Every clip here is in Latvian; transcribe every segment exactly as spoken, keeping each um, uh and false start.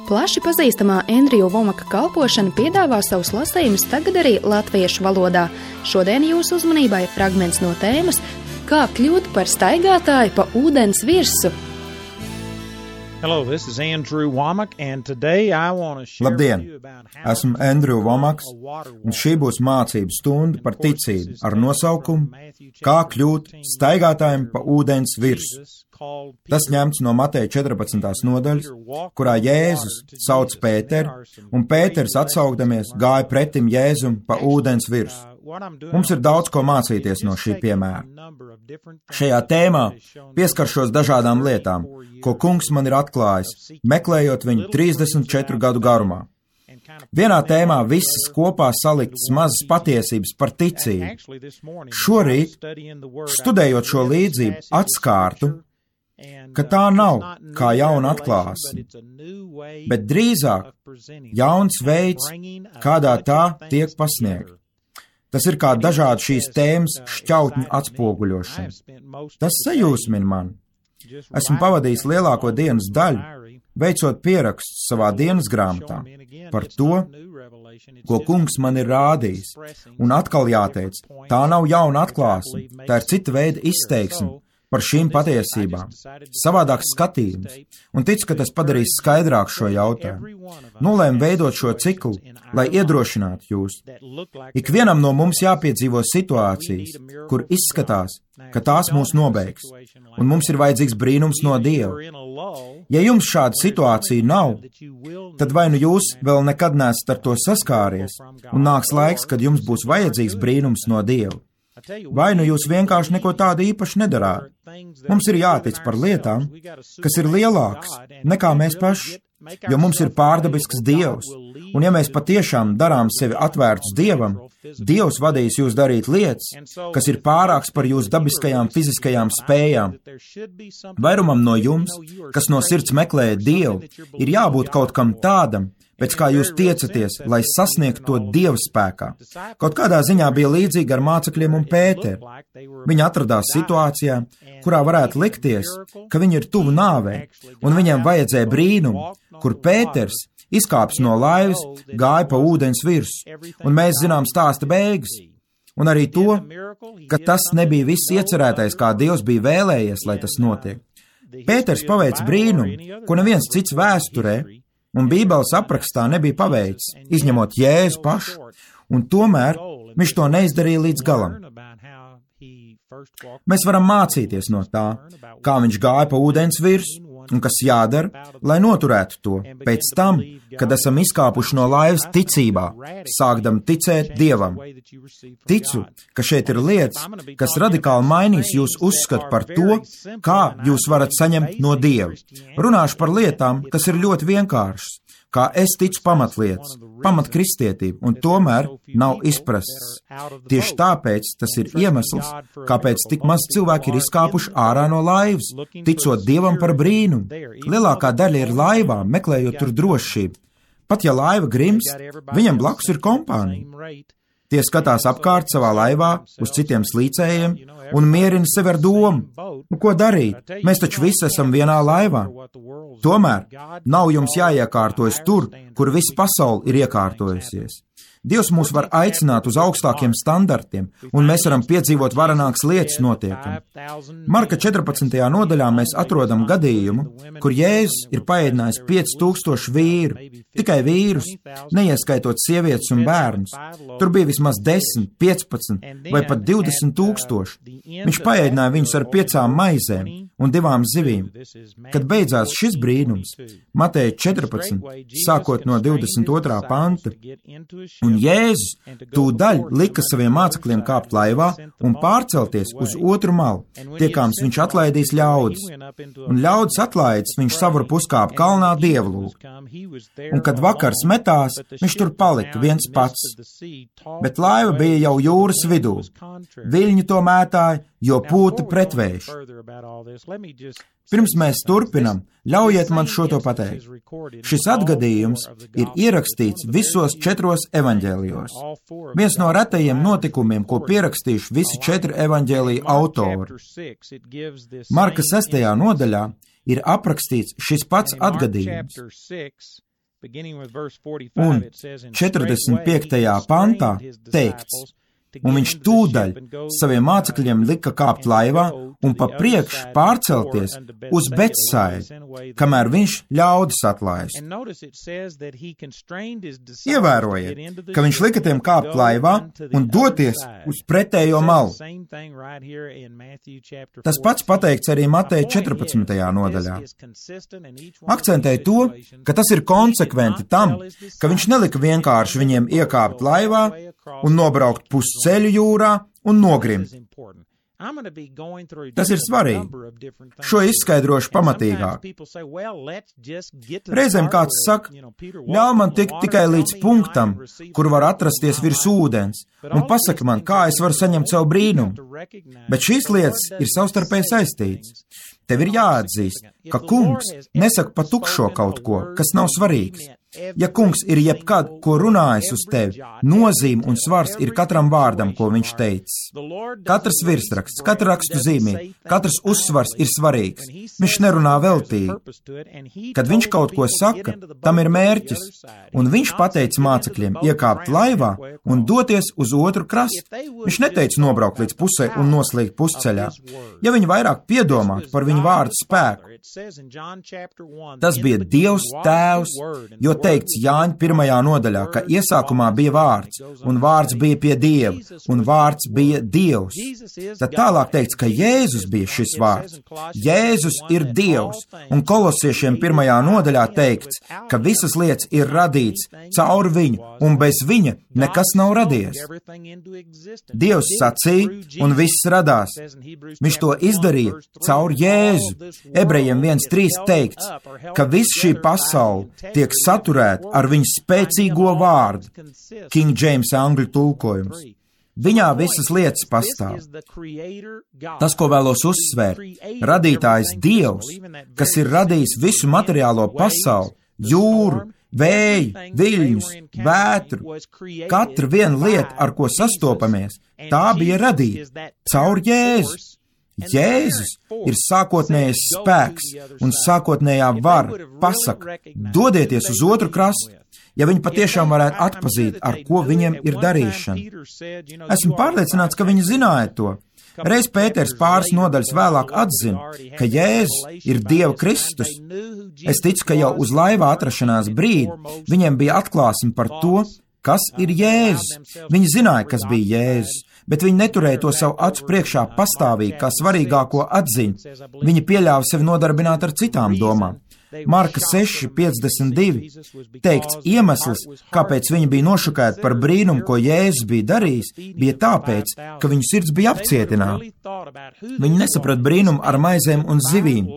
Plaši pazīstamā Endriju Vomaka kalpošana piedāvā savus lasījumus tagad arī latviešu valodā. Šodien jūsu uzmanībai fragments no tēmas Kā kļūt par staigātāju pa ūdens virsu. Hello, this is Andrew Womack, and today I want to share Labdien! with you about how Esmu Andrew Vomaks, un šī būs mācību stunda par ticību ar nosaukumu Kā kļūt staigātājiem pa ūdens virsu. Tas ņemts no Mateja četrpadsmitās nodaļas, kurā Jēzus sauc Pēteru, un Pēters atsaukdamies gāja pretim Jēzum pa ūdens virsu. Mums ir daudz ko mācīties no šī piemēra. Šajā tēmā pieskaršos dažādām lietām, ko kungs man ir atklājis, meklējot viņu trīsdesmit četru gadu garumā. Vienā tēmā visas kopā saliktas mazas patiesības par ticību. Šorīt, studējot šo līdzību, atskārtu, ka tā nav kā jauna atklāsme, bet drīzāk jauns veids, kādā tā tiek pasniegta. Tas ir kā dažādi šīs tēmas šķautņu atspoguļošana. Tas sajūsmina mani. Esmu pavadījis lielāko dienas daļu, veicot pierakstus savā dienas grāmatā par to, ko kungs man ir rādījis. Un atkal jāteic, tā nav jauna atklāsme, tā ir cita veida izteiksme par šīm patiesībām, savādāks skatījums, un ticu, ka tas padarīs skaidrāk šo jautājumu. Nolēmu veidot šo ciklu, lai iedrošinātu jūs. Ikvienam no mums jāpiedzīvo situācijas, kur izskatās, ka tās mūs nobeigs, un mums ir vajadzīgs brīnums no Dieva. Ja jums šāda situācija nav, tad vai nu jūs vēl nekad neesat ar to saskāries, un nāks laiks, kad jums būs vajadzīgs brīnums no Dieva. Vai nu jūs vienkārši neko tādu īpaši nedarāt. Mums ir jātic par lietām, kas ir lielākas nekā mēs paši, jo mums ir pārdabisks Dievs, un ja mēs patiešām darām sevi atvērtus Dievam, Dievs vadīs jūs darīt lietas, kas ir pārāks par jūsu dabiskajām fiziskajām spējām. Vairumam no jums, kas no sirds meklēja Dievu, ir jābūt kaut kam tādam, pēc kā jūs tiecaties, lai sasniegtu to Dieva spēkā. Kaut kādā ziņā bija līdzīgi ar mācekļiem un Pēteru. Viņi atradās situācijā, kurā varētu likties, ka viņi ir tuvu nāvei, un viņiem vajadzēja brīnumu, kur Pēters, izkāps no laivas, gāja pa ūdens virsu, un mēs zinām stāsta beigas. Un arī to, ka tas nebija viss iecerētais, kā Dievs bija vēlējies, lai tas notiek. Pēters paveic brīnumu, ko neviens cits vēsturē, un Bībeles aprakstā nebija paveicis, izņemot Jēzu pašu, un tomēr viņš to neizdarīja līdz galam. Mēs varam mācīties no tā, kā viņš gāja pa ūdens virsu, un kas jādara, lai noturētu to, pēc tam, kad esam izkāpuši no laivas ticībā, sākdam ticēt Dievam. Ticu, ka šeit ir lietas, kas radikāli mainīs jūsu uzskatu par to, kā jūs varat saņemt no Dieva. Runāšu par lietām, kas ir ļoti vienkāršas, kā es ticu pamatlietas, pamatkristietība, un tomēr nav izprasts. Tieši tāpēc tas ir iemesls, kāpēc tik maz cilvēki ir izkāpuši ārā no laivas, ticot Dievam par brīnumu. Lielākā daļa ir laivā, meklējot tur drošību. Pat ja laiva grimst, viņam blakus ir kompānija. Tie skatās apkārt savā laivā uz citiem slīcējiem un mierina sevi ar domu. Nu, ko darīt? Mēs taču visi esam vienā laivā. Tomēr nav jums jāiekārtojas tur, kur visa pasaule ir iekārtojusies. Dievs mūs var aicināt uz augstākiem standartiem, un mēs varam piedzīvot varenākas lietas notiekam. Marka četrpadsmitajā nodaļā mēs atrodam gadījumu, kur Jēzus ir paēdinājis pieci tūkstoši vīru, tikai vīrus, neieskaitot sievietes un bērnus. Tur bija vismaz desmit, piecpadsmit vai pat divdesmit tūkstoši. Viņš paēdināja viņus ar piecām maizēm un divām zivīm. Kad beidzās šis brīnums, Mateja četrpadsmit, sākot no divdesmit otrā panta, un Jēzus tūdaļ lika saviem mācekļiem kāpt laivā un pārcelties uz otru malu, tiekāms viņš atlaidīs ļaudis. Un ļaudis atlaidis, viņš savur puskāp kalnā dievlūgt. Un kad vakars metās, viņš tur palika viens pats. Bet laiva bija jau jūras vidū. Viļņi to mētāja, jo pūta pretvējš. Pirms mēs turpinam, ļaujiet man šo to pateikt. Šis atgadījums ir ierakstīts visos četros evaņģēlijos. Viens no retajiem notikumiem, ko pierakstījuši visi četri evaņģēlija autori. Marka sestajā nodaļā ir aprakstīts šis pats atgadījums. Un četrdesmit piektajā pantā teikts, un viņš tūdaļ saviem mācekļiem lika kāpt laivā un pa priekšu pārcelties uz Betsaidu, kamēr viņš ļaudis atlaist. Ievērojiet, ka viņš lika tiem kāpt laivā un doties uz pretējo malu. Tas pats pateikts arī Mateja četrpadsmitajā nodaļā. Akcentēja to, ka tas ir konsekventi tam, ka viņš nelika vienkārši viņiem iekāpt laivā un nobraukt pusceļu jūrā un nogrimt. Tas ir svarīgi. Šo izskaidrošu pamatīgāk. Reizēm kāds saka, ļauj man tikt tikai līdz punktam, kur var atrasties virs ūdens, un pasaka man, kā es varu saņemt savu brīnumu. Bet šīs lietas ir savstarpēji saistītas. Tev ir jāatzīst, ka kungs nesaka pa tukšo kaut ko, kas nav svarīgs. Ja kungs ir jebkad, ko runājis uz tevi, nozīme un svars ir katram vārdam, ko viņš teicis. Katrs virsraksts, katra rakstu zīmīte, katrs uzsvars ir svarīgs. Viņš nerunā veltīgi. Kad viņš kaut ko saka, tam ir mērķis, un viņš pateica mācekļiem iekāpt laivā un doties uz otru krastu. Viņš neteica nobraukt līdz pusē un noslīgt pusceļā. Ja viņi vairāk piedomātu par viņu vārdu spēku, tas bija Dievs Tēvs, jo teikts Jāņa pirmajā nodaļā, ka iesākumā bija vārds, un vārds bija pie Dieva, un vārds bija Dievs. Tad tālāk teikts, ka Jēzus bija šis vārds. Jēzus ir Dievs, un kolosiešiem pirmajā nodaļā teikts, ka visas lietas ir radīts caur viņu, un bez viņa nekas nav radies. Dievs sacīja, un viss radās. Viņš to izdarīja caur Jēzu. Ebrejiem viens trīs teikts, ka viss šī pasaule tiek saturēta ar viņu spēcīgo vārdu. King James angļu tulkojums. Viņā visas lietas pastāv. Tas, ko vēlos uzsvērt, radītājs Dievs, kas ir radījis visu materiālo pasauli, jūru, vēju, viļņus, vētru, katra viena lieta, ar ko sastopamies, tā bija radīta caur Jēzu. Jēzus ir sākotnējais spēks un sākotnējā vara pasaka, dodieties uz otru krastu, ja viņi patiešām varētu atpazīt, ar ko viņiem ir darīšana. Esmu pārliecināts, ka viņi zināja to. Reiz Pēters pāris nodaļas vēlāk atzina, ka Jēzus ir Dieva Kristus. Es ticu, ka jau uz laivā atrašanās brīdi viņiem bija atklāsme par to, kas ir Jēzus. Viņi zināja, kas bija Jēzus, bet viņi neturēja to savu acu priekšā pastāvīgi kā svarīgāko atziņu. Viņi pieļāva sevi nodarbināt ar citām domām. Marka seši piecdesmit divi teikts, iemesls, kāpēc viņi bija nošokēti par brīnumu, ko Jēzus bija darījis, bija tāpēc, ka viņu sirds bija apcietināta. Viņi nesaprata brīnumu ar maizēm un zivīm.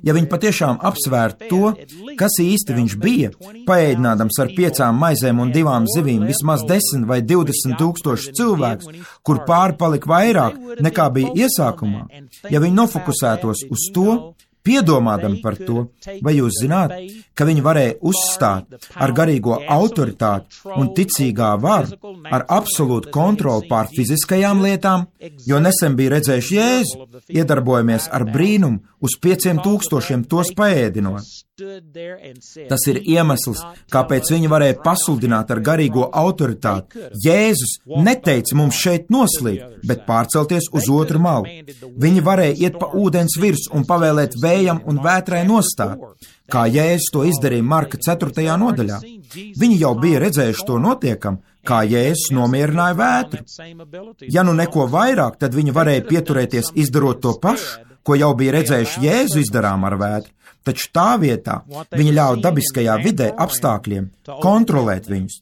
Ja viņi patiešām apsvērtu to, kas īsti viņš bija, paēdinādams ar piecām maizēm un divām zivīm vismaz desmit vai divdesmit tūkstoši cilvēks, kur pāri palika vairāk nekā bija iesākumā, ja viņi nofokusētos uz to, piedomādami par to, vai jūs zināt, ka viņi varēja uzstāt ar garīgo autoritāti un ticīgā varu, ar absolūtu kontroli pār fiziskajām lietām, jo nesen bija redzējuši Jēzu, iedarbojamies ar brīnumu uz pieciem tūkstošiem tos paēdinot. Tas ir iemesls, kāpēc viņi varēja pasludināt ar garīgo autoritāti. Jēzus neteica mums šeit noslīgt, bet pārcelties uz otru malu. Viņi varēja iet pa ūdens virs un pavēlēt vējam un vētrai nostāt, kā Jēzus to izdarīja Marka ceturtajā nodaļā. Viņi jau bija redzējuši to notiekam, kā Jēzus nomierināja vētru. Ja nu neko vairāk, tad viņi varēja pieturēties izdarot to pašu, ko jau bija redzējuši Jēzu izdarām ar vētru, taču tā vietā viņi ļauj dabiskajā vidē apstākļiem kontrolēt viņus.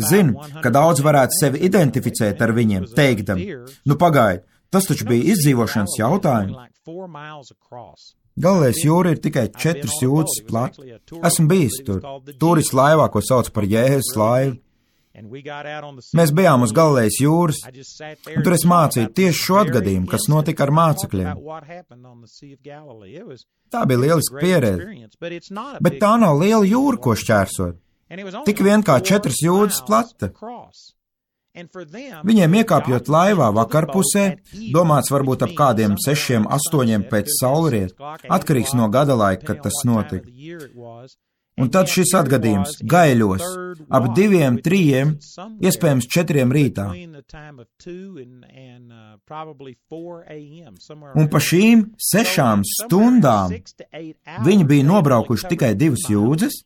Zinu, ka daudz varētu sevi identificēt ar viņiem, teikdami, nu pagaidi, tas taču bija izdzīvošanas jautājums. Galilējas jūra ir tikai četras jūdzes plata. Esmu bijis tur. Turistu laivā, ko sauc par Jēzus laivu. Mēs bijām uz Galilējas jūras, un tur es mācīju tieši šo atgadījumu, kas notika ar mācekļiem. Tā bija lieliska pieredze, bet tā nav liela jūra, ko šķērsot. Tik vien kā četras jūdzes plata. Viņiem iekāpjot laivā vakarpusē, domāts varbūt ap kādiem sešiem, astoņiem pēc saulriet, atkarīgs no gada laika, kad tas notika. Un tad šis atgadījums gaiļos ap diviem, trījiem, iespējams četriem rītā. Un pa šīm sešām stundām viņi bija nobraukuši tikai divas jūdzes.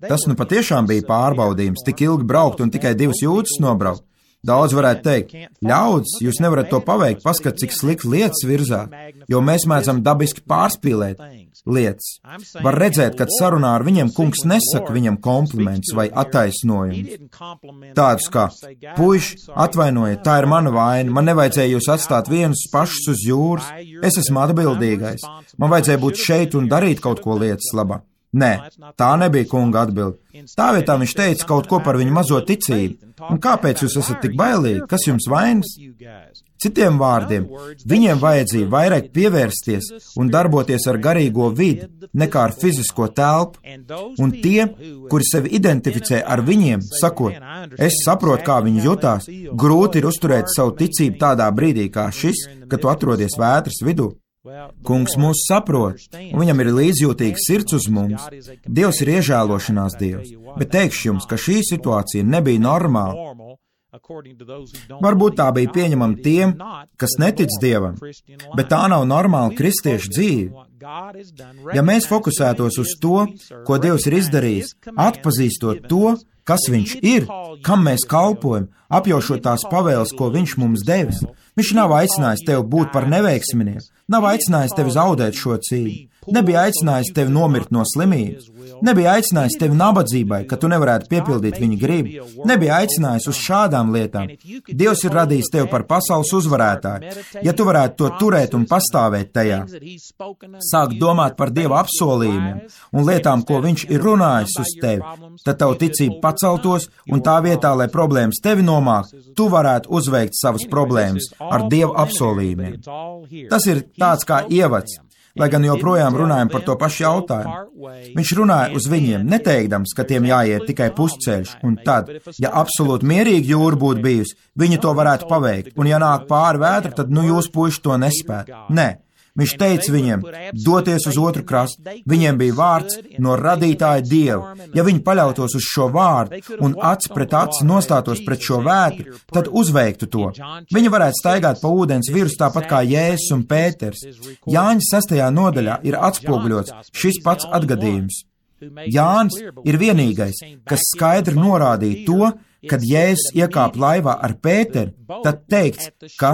Tas nu patiešām bija pārbaudījums, tik ilgi braukt un tikai divas jūdzes nobraukt. Daudz varētu teikt, ļaudis, jūs nevarat to paveikt, paskat, cik slikti lietas virzāt, jo mēs mēdzam dabiski pārspīlēt lietas. Var redzēt, kad sarunā ar viņiem kungs nesaka viņam komplimentus vai attaisnojumus. Tādus kā, puiši, atvainojiet, tā ir mana vaina, man nevajadzēja jūs atstāt vienus pašus uz jūras, es esmu atbildīgais, man vajadzēja būt šeit un darīt kaut ko lietas labā. Nē, tā nebija kunga atbilde. Tā vietā viņš teica kaut ko par viņu mazo ticību. Un kāpēc jūs esat tik bailīgi? Kas jums vainas? Citiem vārdiem, viņiem vajadzīja vairāk pievērsties un darboties ar garīgo vidi, nekā ar fizisko telpu. Un tie, kuri sevi identificē ar viņiem, sakot, es saprotu, kā viņi jutās, grūti ir uzturēt savu ticību tādā brīdī kā šis, kad tu atrodies vētras vidū. Kungs mūs saprot, un viņam ir līdzjūtīgs sirds uz mums. Dievs ir iežēlošanās Dievs, bet teikšu jums, ka šī situācija nebija normāla. Varbūt tā bija pieņemama tiem, kas netic Dievam, bet tā nav normāla kristiešu dzīve. Ja mēs fokusētos uz to, ko Dievs ir izdarījis, atpazīstot to, kas viņš ir, kam mēs kalpojam, apjaušot tās pavēles, ko viņš mums devis, viņš nav aicinājis tevi būt par neveiksminieku, nav aicinājis tevi zaudēt šo cīņu, nebija aicinājis tevi nomirt no slimības, nebija aicinājis tevi nabadzībai, ka tu nevarētu piepildīt viņa gribu, nebija aicinājis uz šādām lietām. Dievs ir radījis tevi par pasaules uzvarētāju. Ja tu varētu to turēt un pastāvēt tajā, sākt domāt par Dieva apsolījumiem un lietām, ko viņš ir runājis uz tevi, tad tavu ticību paceltos un tā vietā, lai problēmas tevi nomāk, tu varētu uzveikt savas problēmas ar Dieva apsolījumiem. Tas ir tāds kā ievads. Lai gan joprojām runājam par to pašu jautājumu. Viņš runāja uz viņiem, neteikdams, ka tiem jāiet tikai pusceļš, un tad, ja absolūti mierīgi jūra būtu bijusi, viņi to varētu paveikt, un ja nāk pāri vētra, tad nu jūs puiši to nespēt. Nē. Viņš teica viņiem, doties uz otru krastu, viņiem bija vārds no radītāja Dieva. Ja viņi paļautos uz šo vārdu un aci pret aci nostātos pret šo vētru, tad uzveiktu to. Viņi varētu staigāt pa ūdens virs tāpat kā Jēzus un Pēters. Jāņa sastajā nodaļā ir atspoguļots šis pats atgadījums. Jānis ir vienīgais, kas skaidri norādīja to, kad Jēzus iekāp laivā ar Pēteru, tad teikts, ka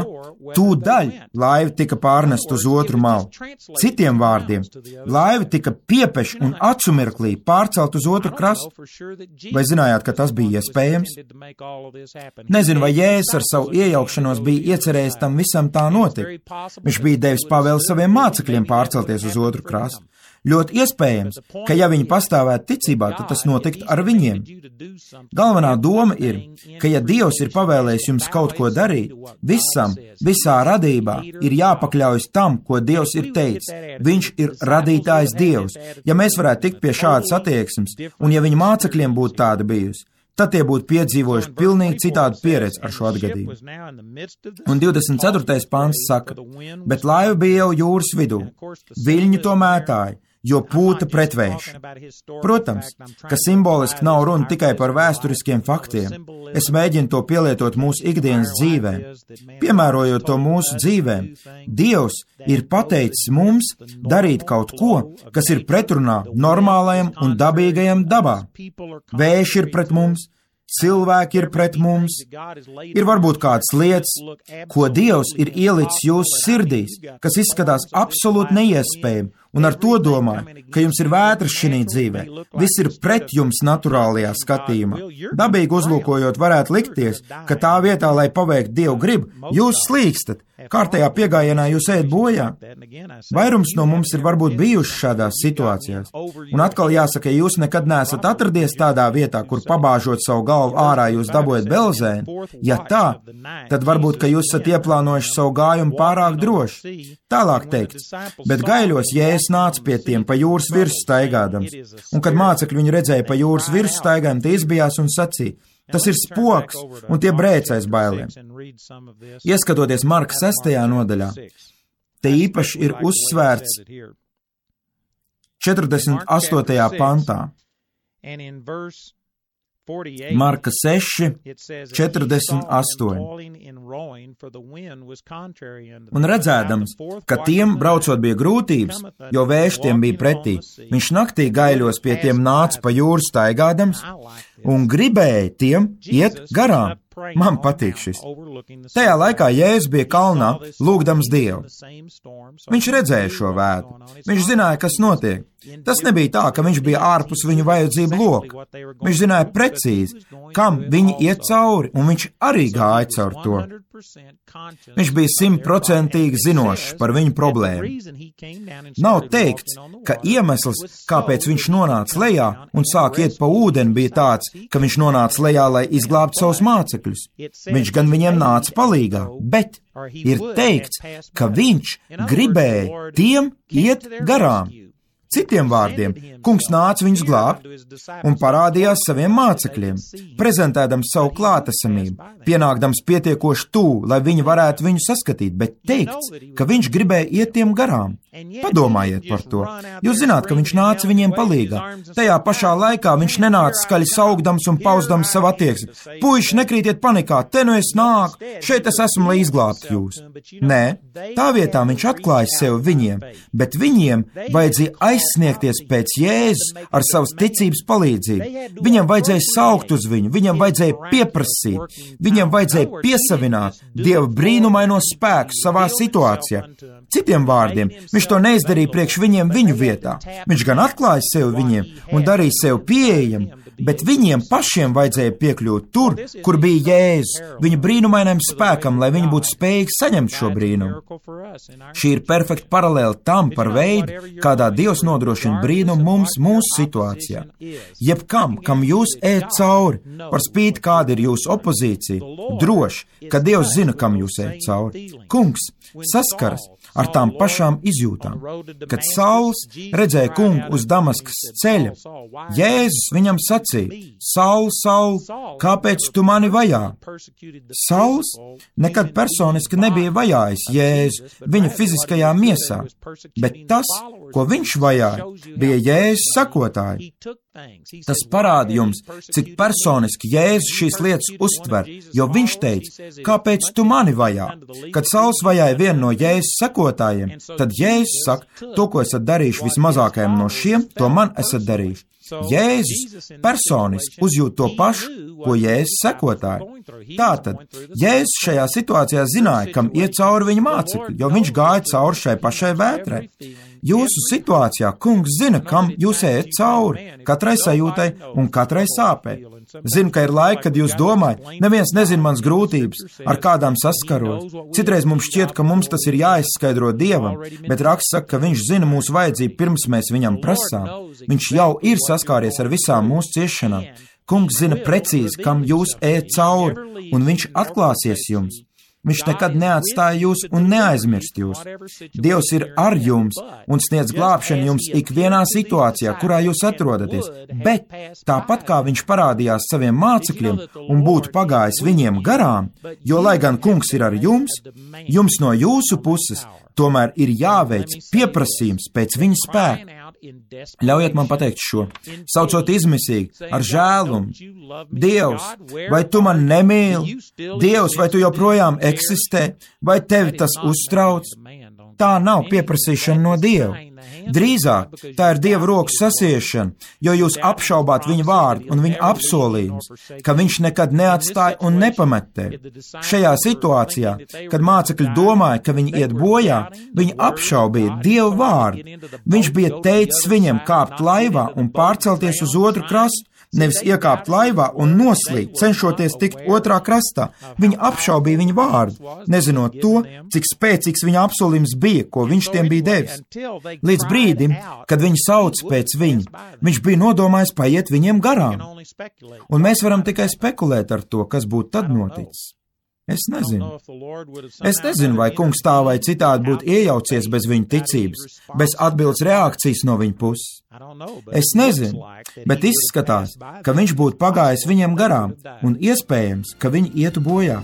tūdaļ laiva tika pārnest uz otru malu. Citiem vārdiem, laiva tika piepeš un acumirklī pārcelt uz otru krastu. Vai zinājāt, ka tas bija iespējams? Nezinu, vai Jēzus ar savu iejaukšanos bija iecerējis tam visam tā notikt. Viņš bija devis pavēli saviem mācekļiem pārcelties uz otru krastu. Ļoti iespējams, ka ja viņi pastāvētu ticībā, tad tas notiktu ar viņiem. Galvenā doma ir, ka ja Dievs ir pavēlējis jums kaut ko darīt, visam, visā radībā ir jāpakļaujas tam, ko Dievs ir teicis. Viņš ir radītājs Dievs. Ja mēs varētu tikt pie šādas attieksmes, un ja viņa mācekļiem būtu tāda bijusi, tad tie būtu piedzīvojuši pilnīgi citādu pieredzi ar šo atgadījumu. Un divdesmit ceturtais pants saka, bet laiva bija jau jūras vidū, viļņi to mētāja, jo pūta pretvējš. Protams, ka simboliski nav runa tikai par vēsturiskiem faktiem. Es mēģinu to pielietot mūsu ikdienas dzīvēm. Piemērojot to mūsu dzīvēm, Dievs ir pateicis mums darīt kaut ko, kas ir pretrunā normālajam un dabīgajam dabā. Vējš ir pret mums, cilvēki ir pret mums, ir varbūt kādas lietas, ko Dievs ir ielicis jūsu sirdīs, kas izskatās absolūti neiespējami, un ar to domāju, ka jums ir vētras šinī dzīvē. Viss ir pret jums naturālajā skatījumā. Dabīgi uzlūkojot varētu likties, ka tā vietā, lai paveiktu Dievu gribu, jūs slīkstat. Kārtējā piegājienā jūs ejat bojā. Vairums no mums ir varbūt bijuši šādās situācijās. Un atkal jāsaka, ja jūs nekad neesat atradies tādā vietā, kur pabāžot savu galvu ārā jūs dabojat belzēnu, ja tā, tad varbūt, ka jūs esat ieplānojuši savu gājumu pārāk droši. Tālāk teikts, bet gaiļos Jēzus nāca pie tiem pa jūras virsmu staigādams, un kad mācekļi viņu redzēja pa jūras virsmu staigājam, tie izbijās un sacīja, tas ir spoks, un tie brēcais bailiem. Ieskatoties Marka sestajā nodaļā, te īpaši ir uzsvērts četrdesmit astotajā pantā. Marka seši, četrdesmit astoņi. Un redzēdams, ka tiem braucot bija grūtības, jo vējš tiem bija pretī, viņš naktī gaiļos pie tiem nāca pa jūru staigādams un gribēja tiem iet garām. Man patīk šis. Tajā laikā Jēzus bija kalnā, lūgdams Dievu. Viņš redzēja šo vētru. Viņš zināja, kas notiek. Tas nebija tā, ka viņš bija ārpus viņu vajadzību loka. Viņš zināja precīzi, kam viņi iet cauri, un viņš arī gāja caur to. Viņš bija simtprocentīgi zinošs par viņu problēmu. Nav teikts, ka iemesls, kāpēc viņš nonāca lejā un sāk iet pa ūdeni, bija tāds, ka viņš nonāca lejā, lai izglābtu savus mācekļus. Viņš gan viņiem nāca palīgā, bet ir teikts, ka viņš gribēja tiem iet garām. Citiem vārdiem, kungs nāca viņus glābt un parādījās saviem mācekļiem, prezentēdams savu klātesamību, pienākdams pietiekoši tūlu, lai viņi varētu viņu saskatīt, bet teikts, ka viņš gribēja iet tiem garām. Padomājiet par to. Jūs zināt, ka viņš nāca viņiem palīgā. Tajā pašā laikā viņš nenāca skaļi saugdams un pausdams savu attieksmi. Puiši, nekrītiet panikā, te nu es nāku, šeit es esmu, lai izglābtu jūs. Nē, tā vietā viņš atklāja sevi viņiem, bet viņiem vajadzēja aizsniegties pēc Jēzus ar savas ticības palīdzību. Viņam vajadzēja saukt uz viņu, viņam vajadzēja pieprasīt, viņam vajadzēja piesavināt Dieva brīnumaino spēku savā situācijā. Citiem vārdiem, viņš to neizdarīja priekš viņiem viņu vietā. Viņš gan atklāja sevi viņiem un darīja sevi pieejamu, bet viņiem pašiem vajadzēja piekļūt tur, kur bija Jēzus, viņa brīnumainam spēkam, lai viņi būtu spējīgi saņemt šo brīnumu. Šī ir perfekta paralēla tam par veidu, kādā Dievs nodrošina brīnumu mums mūsu situācijā. Jebkam, kam jūs ejat cauri, par spīti kāda ir jūsu opozīcija, droši, ka Dievs zina, kam jūs ejat cauri. Kungs saskaras ar tām pašām izjūtām. Kad Sauls redzēja kungu uz Damaskas ceļa, Jēzus viņam sacīja: Saul, Saul, kāpēc tu mani vajā? Sauls nekad personiski nebija vajājis Jēzu viņa fiziskajā miesā, bet tas, ko viņš vajāja, bija Jēzus sakotāji. Tas parāda jums, cik personiski Jēzus šīs lietas uztver, jo viņš teica: kāpēc tu mani vajā? Kad Sauls vajāja vienu no Jēzus sakotājiem, tad Jēzus saka: to, ko esat darījuši vismazākajam no šiem, to man esat darījuši. Jēzus personiski uzjūt to pašu, ko Jēzus sekotāji. Tātad, Jēzus šajā situācijā zināja, kam iet cauri viņa mācekļi, jo viņš gāja cauri šai pašai vētrai. Jūsu situācijā kungs zina, kam jūs ejat cauri, katrai sajūtai un katrai sāpei. Zinu, ka ir laiki, kad jūs domājat, neviens nezina mans grūtības, ar kādām saskaros. Citreiz mums šķiet, ka mums tas ir jāizskaidro Dievam, bet raksts saka, ka viņš zina mūsu vajadzību pirms mēs viņam prasām. Viņš jau ir saskāries ar visām mūsu ciešanām. Kungs zina precīzi, kam jūs ejat cauri, un viņš atklāsies jums. Viņš nekad neatstāja jūs un neaizmirst jūs. Dievs ir ar jums un sniedz glābšanu jums ikvienā situācijā, kurā jūs atrodaties, bet tāpat kā viņš parādījās saviem mācekļiem un būtu pagājis viņiem garām, jo lai gan kungs ir ar jums, jums no jūsu puses tomēr ir jāveic pieprasījums pēc viņa spēka. Ļaujiet man pateikt šo, saucot izmisīgi, ar žēlumu: Dievs, vai tu man nemīli? Dievs, vai tu joprojām eksistē? Vai tevi tas uztrauc? Tā nav pieprasīšana no Dieva. Drīzāk tā ir Dieva rokas sasiešana, jo jūs apšaubāt viņa vārdu un viņa apsolījumus, ka viņš nekad neatstāja un nepamet tevi. Šajā situācijā, kad mācekļi domāja, ka viņi iet bojā, viņi apšaubīja Dieva vārdu. Viņš bija teicis viņiem kāpt laivā un pārcelties uz otru krastu, nevis iekāpt laivā un noslīgt, cenšoties tikt otrā krastā. Viņi apšaubīja viņa vārdu, nezinot to, cik spēcīgs viņa apsolījums bija, ko viņš tiem bija devis. Līdz brīdim, kad viņi sauc pēc viņa, viņš bija nodomājis paiet viņiem garām. Un mēs varam tikai spekulēt ar to, kas būtu tad noticis. Es nezinu. Es nezinu, vai kungs tā vai citādi būtu iejaucies bez viņa ticības, bez atbildes reakcijas no viņa puses. Es nezinu, bet izskatās, ka viņš būtu pagājis viņiem garām, un iespējams, ka viņi ietu bojā.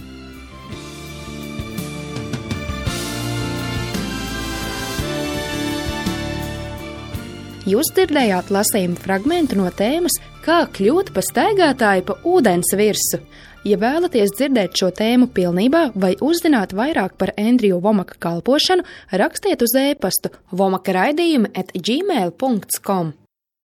Jūs dzirdējāt lasījumu fragmentu no tēmas Kā kļūt par staigātāju pa ūdens virsu. Ja vēlaties dzirdēt šo tēmu pilnībā vai uzzināt vairāk par Andrew Womaka kalpošanu, rakstiet uz e-pastu womaka raidījumi at gmail dot com.